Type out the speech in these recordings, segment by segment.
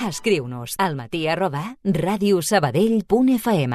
Escriu-nos al matí@radiosabadell.fm.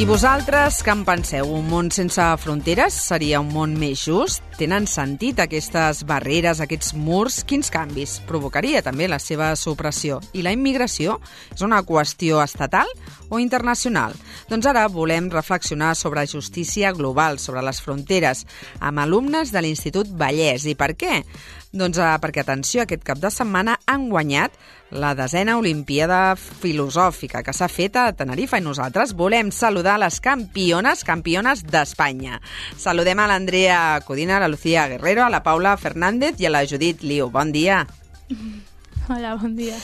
I vosaltres, què en penseu? Un món sense fronteres seria un món més just? Tenen sentit aquestes barreres, aquests murs? Quins canvis provocaria també la seva supressió? I la immigració és una qüestió estatal o internacional? Doncs ara volem reflexionar sobre justícia global, sobre les fronteres, amb alumnes de l'Institut Vallès. I per què? Doncs perquè, atenció, aquest cap de setmana han guanyat la 10a Olimpíada Filosòfica que s'ha fet a Tenerife i nosaltres volem saludar les campiones d'Espanya. Saludem a l'Andrea Codina, a la Lucía Guerrero, a la Paula Fernández i a la Judit Liu. Bon dia. Hola, bon dia.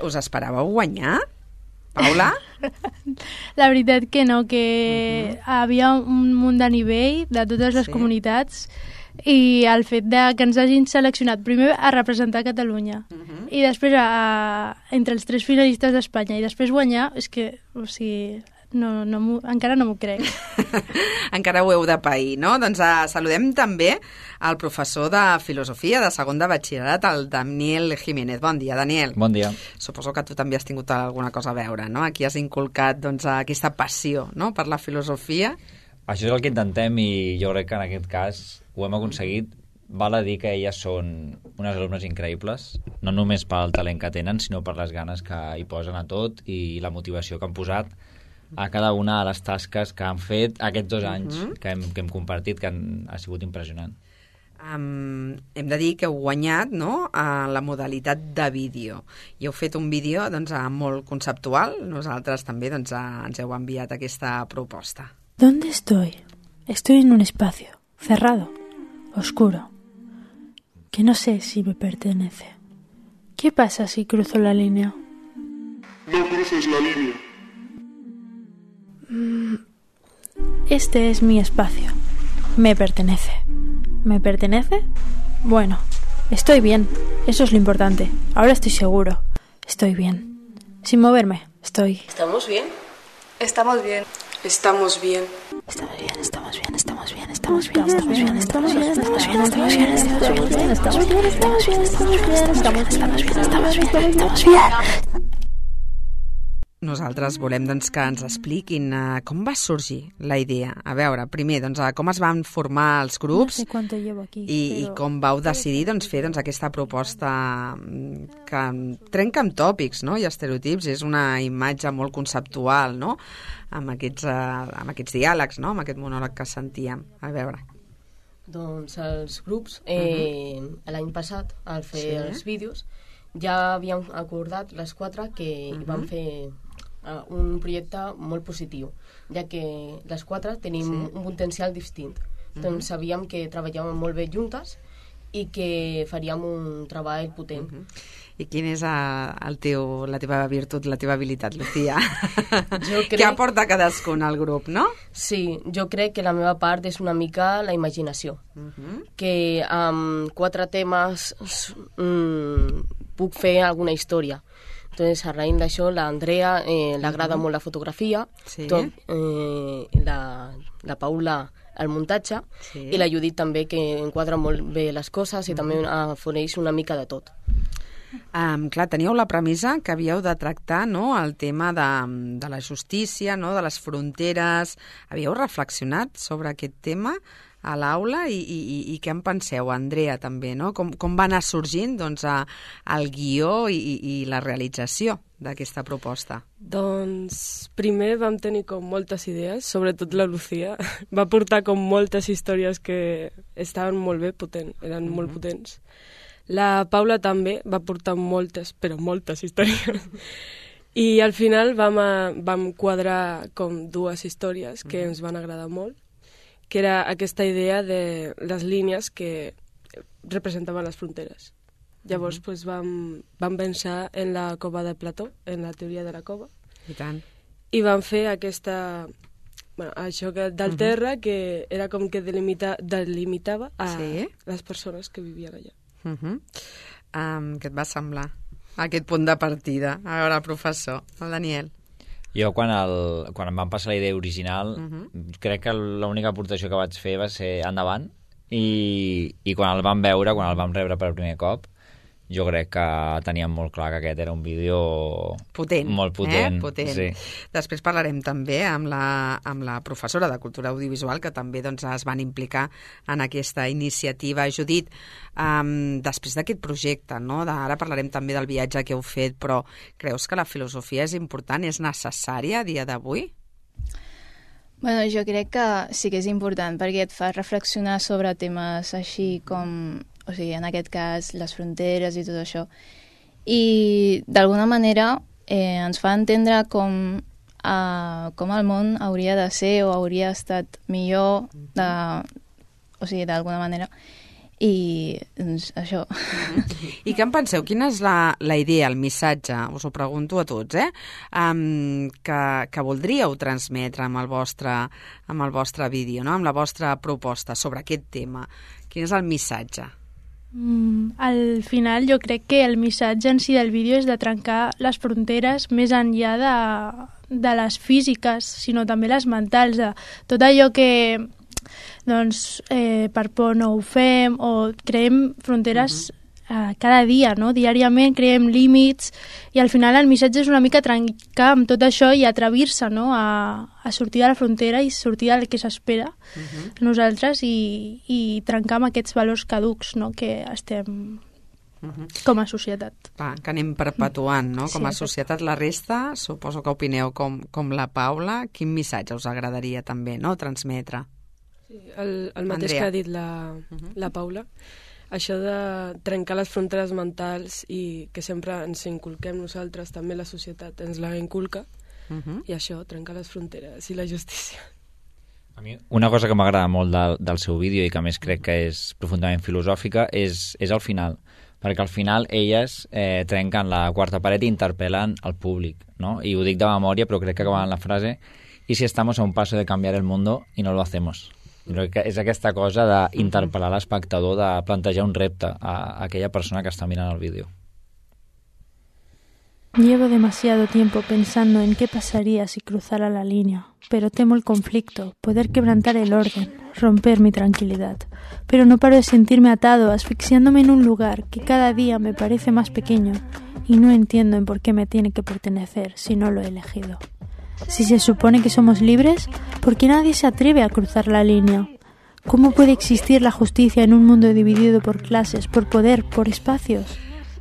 Us esperàveu guanyar? Paula? La veritat que no, que havia un munt de nivell de totes les comunitats i el fet que ens hagin seleccionat primer a representar Catalunya i després entre els 3 finalistes d'Espanya i després guanyar, és que, o sigui, encara no m'ho crec. Encara ho heu de pair, no? Doncs saludem també el professor de Filosofia de segon de batxillerat, el Daniel Jiménez. Bon dia, Daniel. Bon dia. Suposo que tu també has tingut alguna cosa a veure, no? Aquí has inculcat aquesta passió, no?, per la filosofia. Això és el que intentem i jo crec que en aquest cas ho hem aconseguit. Val a dir que elles són unes alumnes increïbles, no només pel talent que tenen, sinó per les ganes que hi posen a tot i la motivació que han posat a cada una de les tasques que han fet aquests 2 anys que hem compartit, que ha sigut impressionant. Hem de dir que heu guanyat, no?, a la modalitat de vídeo. I heu fet un vídeo molt conceptual. Nosaltres també ens heu enviat aquesta proposta. ¿Dónde estoy? Estoy en un espacio cerrado, oscuro, que no sé si me pertenece. ¿Qué pasa si cruzo la línea? No cruces la línea. Este es mi espacio. Me pertenece. ¿Me pertenece? Bueno, estoy bien. Eso es lo importante. Ahora estoy seguro. Estoy bien. Sin moverme, estoy... ¿Estamos bien? Estamos bien. Estamos bien. Estamos bien, estamos bien, estamos bien, estamos bien, estamos bien, estamos bien, estamos bien, estamos bien, estamos bien, estamos bien, estamos bien, estamos bien. Nosaltres volem que ens expliquin com va sorgir la idea. A veure, primer, com es van formar els grups i com vau decidir fer aquesta proposta que trenca amb tòpics, no?, i estereotips. És una imatge molt conceptual, no?, amb aquests diàlegs, no?, amb aquest monòleg que sentíem. A veure. Doncs els grups, l'any passat, al fer els vídeos, ja havíem acordat les 4 que vam fer un projecte molt positiu, ja que les 4 tenim un potencial distint. Doncs sabíem que treballàvem molt bé juntes i que faríem un treball potent. I quina és la teva virtut, la teva habilitat, Lucía? Què aporta cadascun al grup, no? Sí, jo crec que la meva part és una mica la imaginació, que amb 4 temes puc fer alguna història. Entonces, a raïs d'això, l'Andrea l'agrada molt la fotografia, la Paula el muntatge, i la Judit també, que enquadra molt bé les coses i també afoneix una mica de tot. Clar, teníeu la premissa que havíeu de tractar, no?, el tema de la justícia, no?, de les fronteres. Havíeu reflexionat sobre aquest tema a l'aula i què en penseu, Andrea, també, no? Com va anar sorgint el guió i la realització d'aquesta proposta? Doncs primer vam tenir moltes idees, sobretot la Lucía. Va portar moltes històries que estaven molt bé, eren molt potents. La Paula també va portar moltes, però moltes històries. I al final vam quadrar 2 històries que ens van agradar molt, que era aquesta idea de les línies que representaven les fronteres. Llavors vam pensar en la cova de Plató, en la teoria de la cova. I tant. I vam fer això del terra, que era com que delimitava a les persones que vivien allà. Què et va semblar aquest punt de partida? A veure, el professor, el Daniel. Jo, quan em van passar la idea original, crec que l'única aportació que vaig fer va ser endavant, i quan el vam veure, quan el vam rebre per primer cop, jo crec que teníem molt clar que aquest era un vídeo potent, molt potent. Potent. Sí. Després parlarem també amb la professora de Cultura Audiovisual, que també doncs, es van implicar en aquesta iniciativa. Judit, després d'aquest projecte, no? Ara parlarem també del viatge que heu fet, però creus que la filosofia és important, és necessària a dia d'avui? Bueno, jo crec que sí que és important, perquè et fa reflexionar sobre temes així com, o sigui, en aquest cas, les fronteres i tot això. I, d'alguna manera, ens fa entendre com el món hauria de ser o hauria estat millor, o sigui, d'alguna manera. I, doncs, això. I què en penseu? Quina és la idea, el missatge, us ho pregunto a tots, que voldríeu transmetre amb el vostre vídeo, no? Amb la vostra proposta sobre aquest tema? Quin és el missatge? Al final jo crec que el missatge en si del vídeo és de trencar les fronteres més enllà de les físiques, sinó també les mentals, de tot allò que doncs, per por no ho fem, o creem fronteres cada dia, no? Diàriament creem límits, i al final el missatge és una mica trencar amb tot això i atrevir-se, no? a sortir de la frontera i sortir del que s'espera nosaltres, i trencar amb aquests valors caducs, no? Que estem com a societat. Que anem perpetuant, no? Com a societat. La resta, suposo que opineu com la Paula. Quin missatge us agradaria també, no? Transmetre? Sí, el mateix que ha dit la Paula, això de trencar les fronteres mentals i que sempre ens inculquem nosaltres, també la societat ens la inculca, i això, trencar les fronteres i la justícia. A mi una cosa que m'agrada molt del seu vídeo i que a més crec que és profundament filosòfica és el final, perquè al final elles trenquen la quarta paret i interpel·len al públic, no? I ho dic de memòria, però crec que acaben la frase: «Y si estamos a un paso de cambiar el mundo y no lo hacemos». És aquesta cosa d'interpel·lar l'espectador, de plantejar un repte a aquella persona que està mirant el vídeo. Llevo demasiado tiempo pensando en qué pasaría si cruzara la línea, pero temo el conflicto, poder quebrantar el orden, romper mi tranquilidad. Pero no paro de sentirme atado, asfixiándome en un lugar que cada día me parece más pequeño, y no entiendo en por qué me tiene que pertenecer si no lo he elegido. Si se supone que somos libres, ¿por qué nadie se atreve a cruzar la línea? ¿Cómo puede existir la justicia en un mundo dividido por clases, por poder, por espacios?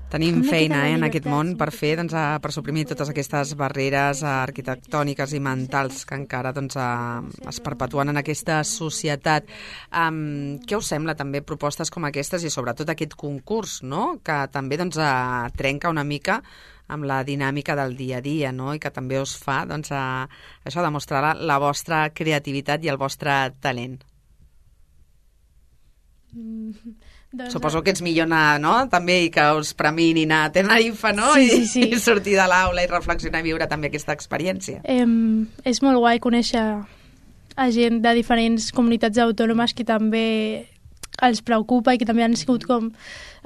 Tenim feina en aquest món per fer, per suprimir totes aquestes barreres arquitectòniques i mentals que encara es perpetuen en aquesta societat. Què us sembla també propostes com aquestes i sobretot aquest concurs, no? Que també trenca una mica amb la dinàmica del dia a dia, no? I que també us fa això, demostrar la vostra creativitat i el vostre talent. Suposo que ets millor anar, no? També, i que us premin i anar a Tenerife, no? Sí. I sortir de l'aula i reflexionar i viure també aquesta experiència. És molt guai conèixer a gent de diferents comunitats autònomes que també els preocupa i que també han sigut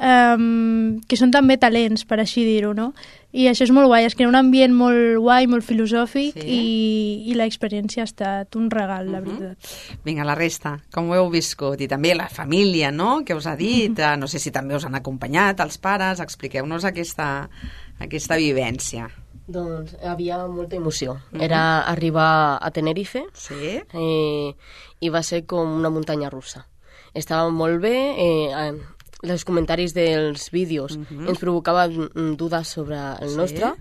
que són també talents, per així dir-ho, no? I això és molt guai, es crea un ambient molt guai, molt filosòfic, i l'experiència ha estat un regal, la veritat. Vinga, la resta, com ho heu viscut? I també la família, no?, que us ha dit, no sé si també us han acompanyat, els pares, expliqueu-nos aquesta vivència. Doncs havia molta emoció. Era arribar a Tenerife, i va ser com una muntanya russa. Estava molt bé, els comentaris dels vídeos ens provocaven dudes sobre el nostre,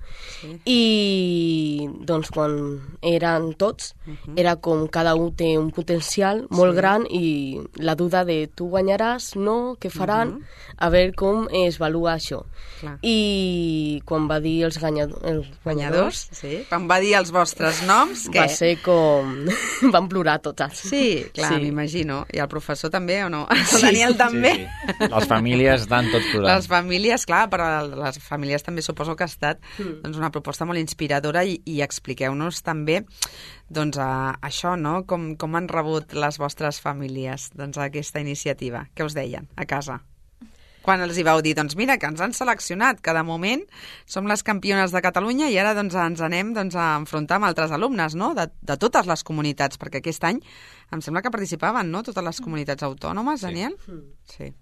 i doncs quan eren tots era com cada un té un potencial molt gran, i la duda de tu guanyaràs, no, què faran, a veure com es valua això. I quan va dir els guanyadors, quan va dir els vostres noms, què? Va ser com... van plorar tots. Sí, clar, m'imagino. I el professor també, o no? El Daniel també? Les famílies estan tot plorant. Les famílies, clar, però les famílies també suposo que ha estat una proposta molt inspiradora, i expliqueu-nos també això, no? Com han rebut les vostres famílies aquesta iniciativa? Què us deien a casa? Quan els hi vau dir, doncs mira, que ens han seleccionat, que de moment som les campiones de Catalunya i ara doncs, ens anem a enfrontar amb altres alumnes, no?, de totes les comunitats, perquè aquest any em sembla que participaven, no?, totes les comunitats autònomes, Daniel? Sí.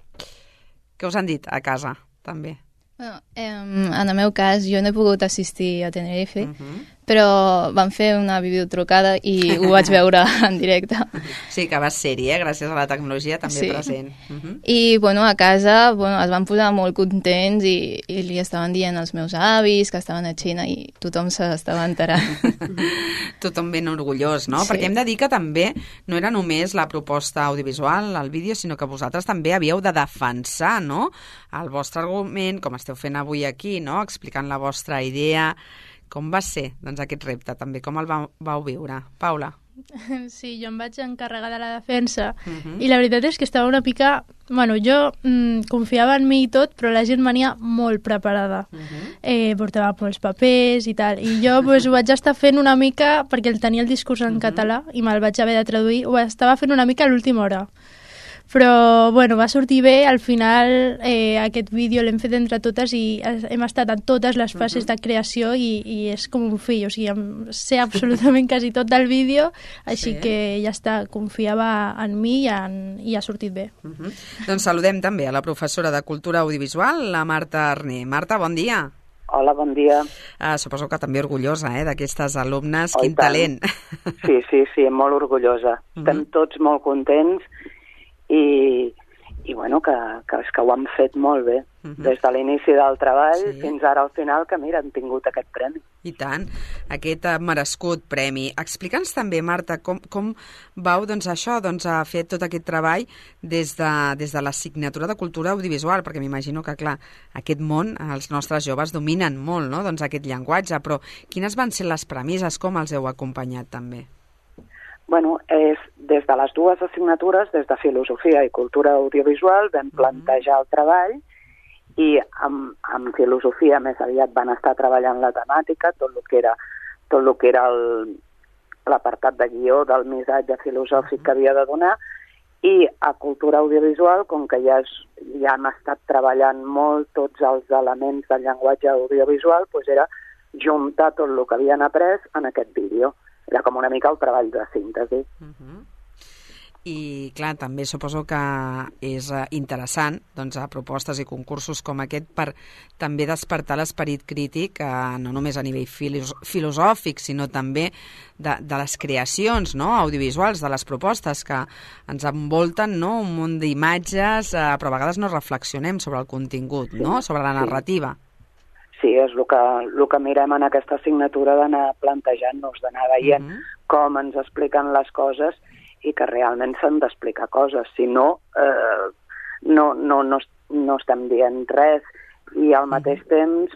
Què us han dit a casa, també? Bueno, en el meu cas, jo no he pogut assistir a Tenerife, però vam fer una videotrucada i ho vaig veure en directe. Sí, que vas ser-hi, gràcies a la tecnologia també present. I, a casa es van posar molt contents i li estaven dient als meus avis que estaven a Xina i tothom s'estava enterant. Tothom ben orgullós, no? Sí. Perquè hem de dir que també no era només la proposta audiovisual, el vídeo, sinó que vosaltres també havíeu de defensar, no?, el vostre argument, com esteu fent avui aquí, no?, explicant la vostra idea. Com va ser, doncs, aquest repte, també? Com el vau viure? Paula? Sí, jo em vaig encarregar de la defensa i la veritat és que estava una mica... jo confiava en mi i tot, però la gent venia molt preparada. Portava molts papers i tal. I jo ho vaig estar fent una mica, perquè tenia el discurs en català i me'l vaig haver de traduir, ho estava fent una mica a l'última hora. Però, va sortir bé. Al final, aquest vídeo l'hem fet entre totes i hem estat en totes les fases de creació i és com un fill. O sigui, sé absolutament quasi tot del vídeo, així que ja està, confiava en mi i ha sortit bé. Doncs saludem també a la professora de Cultura Audiovisual, la Marta Arné. Marta, bon dia. Hola, bon dia. Suposo que també orgullosa d'aquestes alumnes. Oh, quin talent. Sí, molt orgullosa. Estem tots molt contents i que ho han fet molt bé. Des de l'inici del treball fins ara al final, que mira, han tingut aquest premi. I tant, aquest merescut premi. Explica'ns també, Marta, com vau a fer tot aquest treball des de l'assignatura de Cultura Audiovisual, perquè m'imagino que, clar, aquest món, els nostres joves dominen molt, no?, doncs aquest llenguatge, però quines van ser les premisses, com els heu acompanyat també? És des de les dues assignatures, des de Filosofia i Cultura Audiovisual, vam plantejar el treball i amb Filosofia més aviat van estar treballant la temàtica, tot el que era l'apartat de guió del missatge filosòfic que havia de donar, i a Cultura Audiovisual, com que ja hem estat treballant molt tots els elements del llenguatge audiovisual, era juntar tot el que havien après en aquest vídeo. Era com una mica el treball de síntesi. I, clar, també suposo que és interessant, a propostes i concursos com aquest, per també despertar l'esperit crític, no només a nivell filosòfic, sinó també de les creacions, no?, audiovisuals, de les propostes que ens envolten, no?, un munt d'imatges, però a vegades no reflexionem sobre el contingut, no?, sobre la narrativa. Sí, és el que mirem en aquesta assignatura, d'anar plantejant-nos, d'anar veient com ens expliquen les coses i que realment s'han d'explicar coses. Si no, no estem dient res i al mateix temps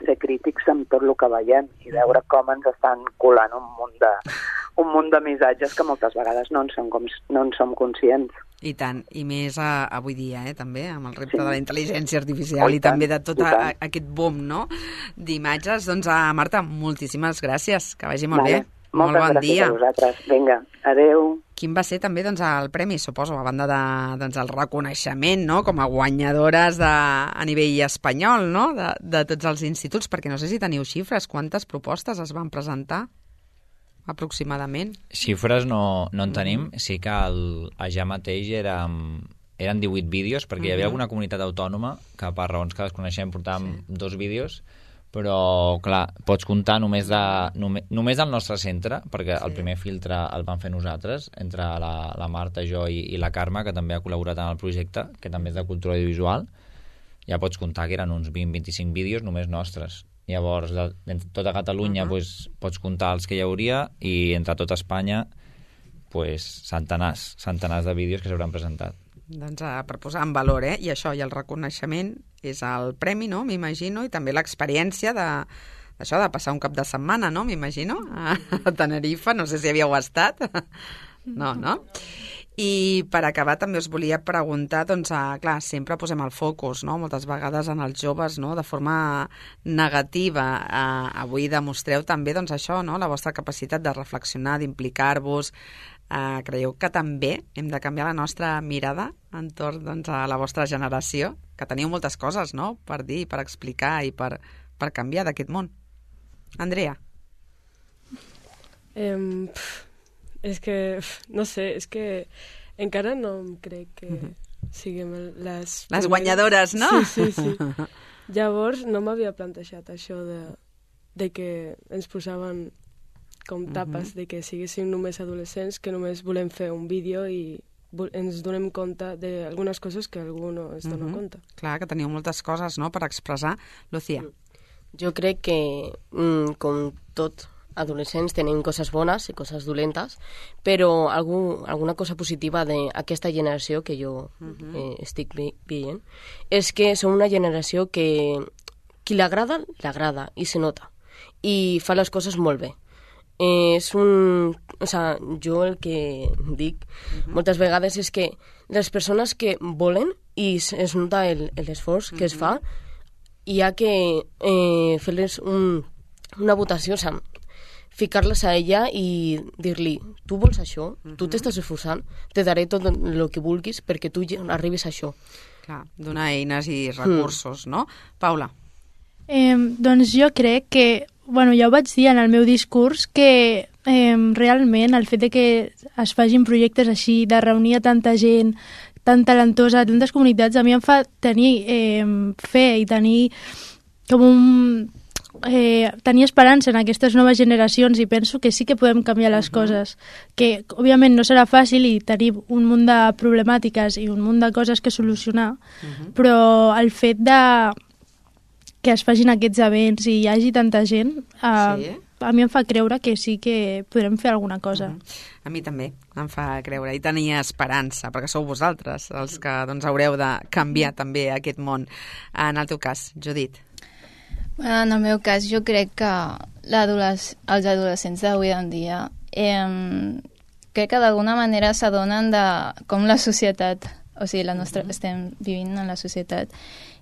ser crítics amb tot el que veiem i veure com ens estan colant un munt de missatges que moltes vegades no en som conscients. I tant, i més avui dia, també, amb el repte de la intel·ligència artificial i també de tot aquest boom, no?, d'imatges. Doncs, Marta, moltíssimes gràcies, que vagi molt bé. Molt bon dia. Moltes gràcies a vosaltres. Vinga, adeu. Quin va ser també el premi, suposo, a banda del reconeixement, no?, com a guanyadores a nivell espanyol, no?, de tots els instituts, perquè no sé si teniu xifres, quantes propostes es van presentar? Aproximadament. Xifres no en tenim. Sí que ja mateix eren 18 vídeos, perquè hi havia alguna comunitat autònoma que per raons que desconeixem portàvem 2 vídeos, però clar, pots comptar només del nostre centre, perquè el primer filtre el vam fer nosaltres, entre la Marta, jo i la Carme, que també ha col·laborat en el projecte, que també és de cultura audiovisual. Ja pots comptar que eren uns 20-25 vídeos només nostres. Llavors, de tota Catalunya pots comptar els que hi hauria i entre tota Espanya centenars de vídeos que s'hauran presentat. Doncs per posar en valor, i això, i el reconeixement és el premi, no?, m'imagino, i també l'experiència d'això, de passar un cap de setmana, no?, m'imagino, a Tenerife, no sé si havíeu estat. No? I per acabar també us volia preguntar, clar, sempre posem el focus, no?, moltes vegades en els joves, no?, de forma negativa. Avui demostreu també, això, no?, la vostra capacitat de reflexionar, d'implicar-vos, Creieu que també hem de canviar la nostra mirada entorn doncs, a la vostra generació? Que teniu moltes coses, no?, per dir, per explicar i per canviar d'aquest món. Andrea? És que, no sé, és que encara no em crec que siguem les guanyadores, no? Sí. Llavors no m'havia plantejat això de que ens posaven com tapes, de que siguéssim només adolescents, que només volem fer un vídeo i ens donem compte d'algunes coses que algú no es dona compte. Clar, que teniu moltes coses, no?, per expressar. Lucía? Jo crec que, com tot, adolescents tenim coses bones i coses dolentes, però alguna cosa positiva d'aquesta generació que jo estic veient és que som una generació que qui l'agrada, l'agrada i se nota i fa les coses molt bé. Jo el que dic moltes vegades és que les persones que volen i es nota l'esforç que es fa, hi ha que fer-les una votació, ficar-les a ella i dir-li, tu vols això, tu t'estàs esforçant, te daré tot el que vulguis perquè tu arribis a això. Clar, donar eines i recursos, no? Paula? Doncs jo crec que, ja ho vaig dir en el meu discurs, que realment el fet de que es facin projectes així, de reunir a tanta gent, tan talentosa, tantes comunitats, a mi em fa tenir fe i tenir com tenir esperança en aquestes noves generacions i penso que sí que podem canviar les coses, que òbviament no serà fàcil i tenim un munt de problemàtiques i un munt de coses que solucionar, però el fet de que es facin aquests events i hi hagi tanta gent, a mi em fa creure que sí que podrem fer alguna cosa. A mi també em fa creure i tenir esperança, perquè sou vosaltres els que haureu de canviar també aquest món. En el teu cas, Judit? En el meu cas, jo crec que els adolescents d'avui en dia crec que d'alguna manera s'adonen de com la societat, o sigui, estem vivint en la societat,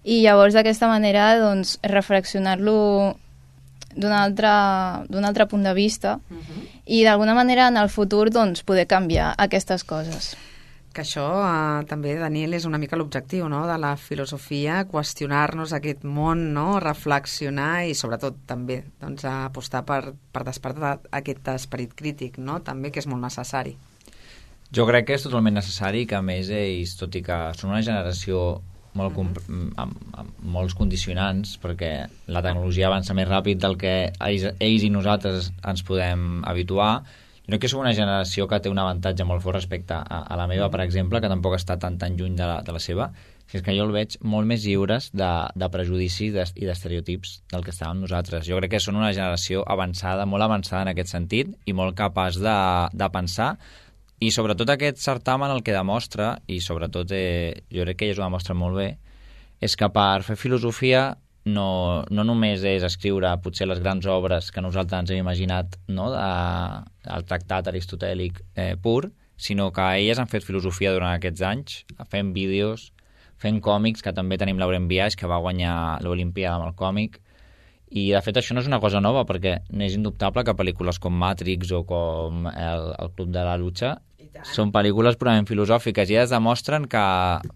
i llavors d'aquesta manera doncs, reflexionar-lo d'un altre punt de vista i d'alguna manera en el futur doncs, poder canviar aquestes coses. Que això també, Daniel, és una mica l'objectiu, no?, de la filosofia, qüestionar-nos aquest món, no?, reflexionar i sobretot també doncs, apostar per despertar aquest esperit crític, no?, també, que és molt necessari. Jo crec que és totalment necessari que a més ells, tot i que són una generació amb molts condicionants, perquè la tecnologia avança més ràpid del que ells i nosaltres ens podem habituar. Jo crec que som una generació que té un avantatge molt fort respecte a la meva, per exemple, que tampoc està tan lluny de la seva, que és que jo el veig molt més lliures de prejudicis i d'estereotips del que estàvem nosaltres. Jo crec que són una generació avançada, molt avançada en aquest sentit, i molt capaç de pensar, i sobretot aquest certamen el que demostra, i sobretot jo crec que ells ho demostren molt bé, és que per fer filosofia no només és escriure potser les grans obres que nosaltres ens hem imaginat, no?, el tractat aristotèlic pur, sinó que elles han fet filosofia durant aquests anys, fent vídeos, fent còmics, que també tenim Lauren Biaix, que va guanyar l'Olimpíada amb el còmic, i de fet això no és una cosa nova, perquè és indubtable que pel·lícules com Matrix o com el Club de la Lucha són pel·lícules purament filosòfiques i elles demostren que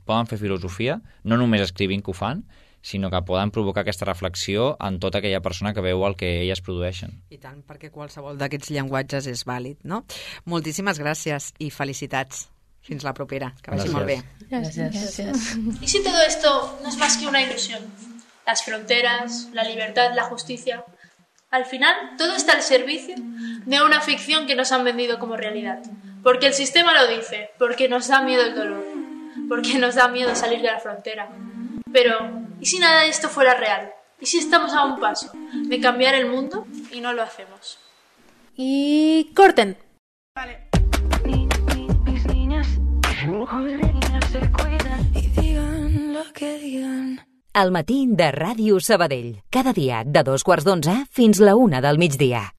poden fer filosofia, no només escrivint que ho fan, sinó que poden provocar aquesta reflexió en tota aquella persona que veu el que elles produeixen. I tant, perquè qualsevol d'aquests llenguatges és vàlid, no? Moltíssimes gràcies i felicitats. Fins la propera, que vagi molt bé. Gracias. ¿Y si todo esto no es más que una ilusión? Las fronteras, la libertad, la justicia. Al final, todo está al servicio de una ficción que nos han vendido como realidad. Porque el sistema lo dice, porque nos da miedo el dolor, porque nos da miedo salir de la frontera. Pero, ¿y si nada de esto fuera real? ¿Y si estamos a un paso de cambiar el mundo y no lo hacemos? Y corten. Vale. Mis niñas se cuidan y digan lo que digan. Al matí de Ràdio Sabadell. Cada dia de 2:15 fins la 1 del migdia.